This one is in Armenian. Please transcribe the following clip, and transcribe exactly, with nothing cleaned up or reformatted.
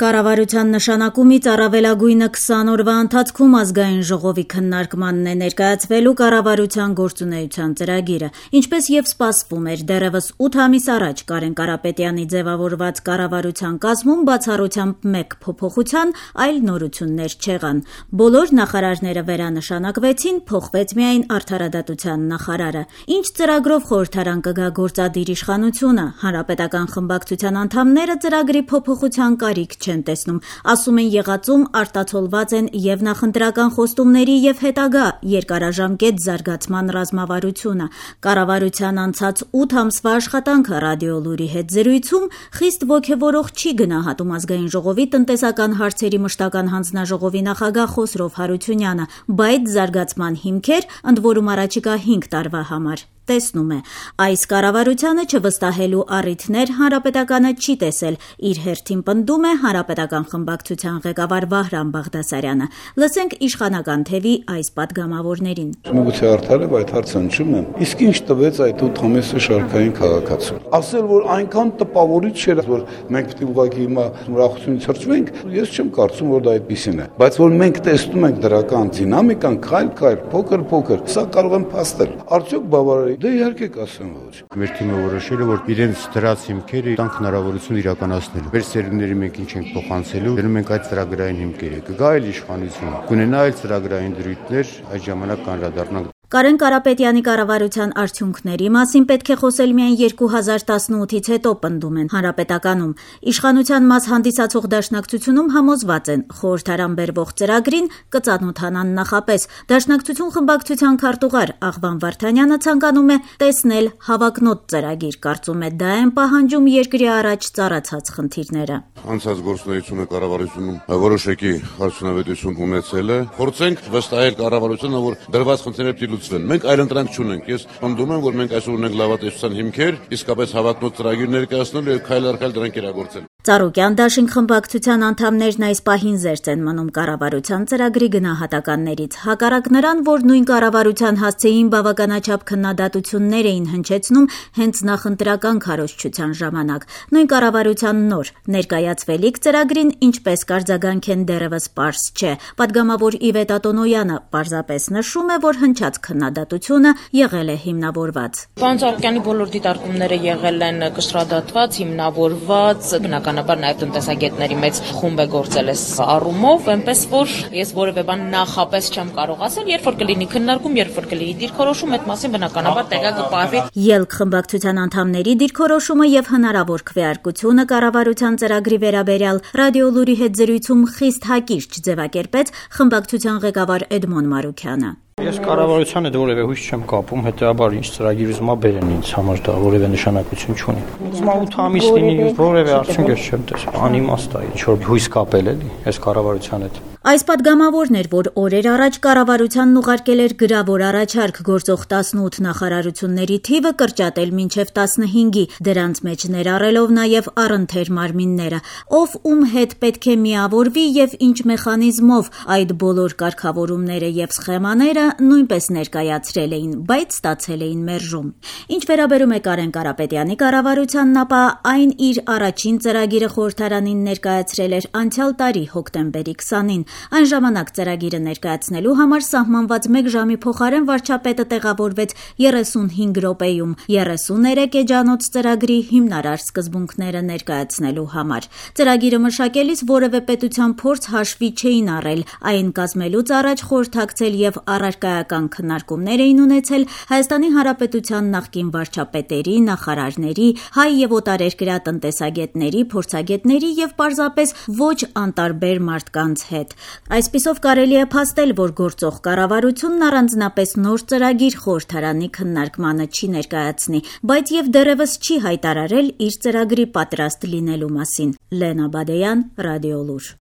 Կառավարության նշանակումից առավելագույնը քսան օրվա ընթացքում ազգային ժողովի քննարկմանն է ներկայացվելու կառավարության գործունեության ծրագիրը։ Ինչպես եւ սպասվում էր, դեռևս ութ ամիս առաջ Կարեն Կարապետյանի ձևավորված կառավարության կազմում բացառությամբ մեկ փոփոխության այլ նորություններ չեղան։ Բոլոր նախարարները վերանշանակվեցին, փոխվեց միայն արդարադատության նախարարը։ Ինչ ծրագրով խորհրդարան կգա գործադիր իշխանությունը, հանրապետական խմբակցության անդամները ծրագրի փոփոխության կարիք չեն տեսնում, ասում են եղածում արտացոլված են եւ նախընտրական խոստումների եւ հետագա երկարաժամկետ զարգացման ռազմավարությունը։ Կառավարության անցած ութ ամսվա աշխատանքը ռադիոլուրի հետ զրույցում խիստ ոգևորող չի գնահատում ազգային ժողովի տնտեսական հարցերի մշտական հանձնաժողովի նախագահ Խոսրով Հարությունյանը, բայց զարգացման հիմքեր, ընդ որում առաջիկա հինգ տարվա համար տեսնում է։ Այս կառավարությանը չվստահելու առիթներ հանրապետականը չի տեսել, իր հերթին պնդում է հանրապետական խմբակցության ղեկավար Վահրամ Բաղդասարյանը։ Լսենք իշխանական թևի այս պատգամավորներին։ Միգուցե արդար է, այդ հարցը հնչում եմ։ Իսկ ինչ տվեց այդ ութ ամիսը շարքային քաղաքացու։ Ասել, որ այնքան տպավորիչ չէր, որ մենք պետք է ուղղակի հիմա ուրախությունից հրճվենք, ես չեմ կարծում, որ դա այդպեսին է։ Բայց որ մենք տեսնում ենք դրական դինամիկան, քայլ-քայլ, փոքր-փոքր, սա կարող եմ փաստել։ Արդյոք բավարար է։ Դե իհարկե կասեմ ոչ։ Մեր թիմը որոշել է, որ իրենց դրած հիմքերը տան հնարավորություն իրականացնելու։ Մեր սերունդների մենք ինչ ենք փոխանցելու, դնում ենք այդ ծրագրային հիմքերը։ Կգա այլ իշխանություն, կունենա այլ ծրագրային դրույթներ, այդ ժամանակ կանրադառնանք։ Կարեն Կարապետյանի կառավարության արդյունքների մասին պետք է խոսել միայն երկու հազար տասնութից հետո, պնդում են հանրապետականում։ Իշխանության մաս հանդիսացող դաշնակցությունում համոզված են, խորհրդարան բերվող ծրագրին կծանոթանան նախապես։ Դաշնակցություն խմբակցության քարտուղար Աղվան Վարդանյանը ցանկանում է տեսնել հավակնոտ ծրագիր, կարծում է դա են պահանջում երկրի առաջ ծառացած խնդիրները։ Անցած գործունեությունը կառավարությունում որոշակի արդյունավետություն ունեցել է։ Փորձենք վստահել կառավարությանը, որ դրված խնդիրները Մենք այլընտրանք չունենք։ Ես պնդում եմ, որ մենք այսօր ունենք լավատեսության հիմքեր, իսկապես հավակնոտ ծրագիր ներկայացնելու եւ քայլ առ քայլ դրանք իրագործել։ Ծառուկյան դաշինք խմբակցության անդամներն այս պահին զերծ են մնում կառավարության ծրագրի գնահատականներից։ Հակառակ նրան, որ նույն կառավարության հասցեին բավականաչափ քննադատություններ էին հնչեցնում հենց նախընտրական քարոզչության ժամանակ։ Նույն կառավարության նոր ներկայացվելիք ծրագրին ինչպես կարձագանք են դեռևս պարզ չէ։ Պատգամավոր Իվետ Ատոնոյանը պարզապես նշում է, որ հնչած քննադատությունը եղել է հիմնավորված։ Պարոն Ծառուկյանի բոլոր դիտարկումները եղել են կշռադատված, հիմնավորված, բնականաբար նաև տնտեսագետների մեծ խումբ է գործել այս առումով, այնպես որ ես որևէ բան նախապես չեմ կարող ասել, երբ որ կլինի քննարկում, երբ որ կլինի դիրքորոշում, այդ մասին բնականաբար տեղը կպահվի։ Ելք խմբակցության անդամների դիրքորոշումը եւ հնարավոր քվեարկությունը կառավարության ծրագրի վերաբերյալ ռադիոլուրի հետ զրույցում խիստ հակիրճ ձևակերպեց խմբակցության ղեկավար Էդմոն Մարուքյանը։ Ես կառավարության հետ որևէ հույս չեմ կապում, հետեւաբար ինչ ծրագիր ուզում ա բերեն ինձ համար դա որևէ նշանակություն չունի։ Ուզում ա ութ ամիս լինի, որևէ արդյունք ես չեմ տեսել։ Անիմաստ է, ինչ որ հույս կապել էլի, այս կառավարության հետ։ Այս պատգամավորն էր, որ օրեր առաջ կառավարությանն ուղարկել էր գրավոր առաջարկ գործող տասնութ նախարարությունների թիվը կրճատել մինչև տասնհինգի, դրանց մեջ ներառելով նաև առընթեր մարմինները, ով ում հետ պետք է միավորվի եւ ինչ մեխանիզմով այդ բոլոր կարգավորումները եւ սխեմաները նույնպես ներկայացրել էին, բայց ստացել էին մերժում։ Ինչ վերաբերում է Կարեն Կարապետյանի կառավարությանն, ապա այն իր առաջին ծրագիրը խորհրդարանին ներկայացրել էր անցյալ տարի հոկտեմբերի քսանին։ Այն ժամանակ ծրագիրը ներկայացնելու համար սահմանված մեկ ժամի փոխարեն վարչապետը տեղավորվեց երեսունհինգ րոպեում երեսուներեք էջանոց ծրագրի հիմնարար սկզբունքները ներկայացնելու համար։ Ծրագիրը մշակելիս որևէ պետության փորձ հաշվի չէին առել, այն կազմելուց առաջ խորհրդակցել եւ առարկայական քննարկումներ էին ունեցել Հայաստանի Հանրապետության նախկին վարչապետերի, նախարարների, հայ եւ օտարերկրյա տնտեսագետների, փորձագետների եւ պարզապես ոչ անտարբեր մարդկանց հետ։ Այսպիսով կարելի է փաստել, որ գործող կառավարությունն առանձնապես նոր ծրագիր խորհրդարանի քննարկմանը չի ներկայացնի, բայց եւ դեռևս չի հայտարարել իր ծրագրի պատրաստ լինելու մասին։ Լենա Բադեյան, Ռադիոլուր։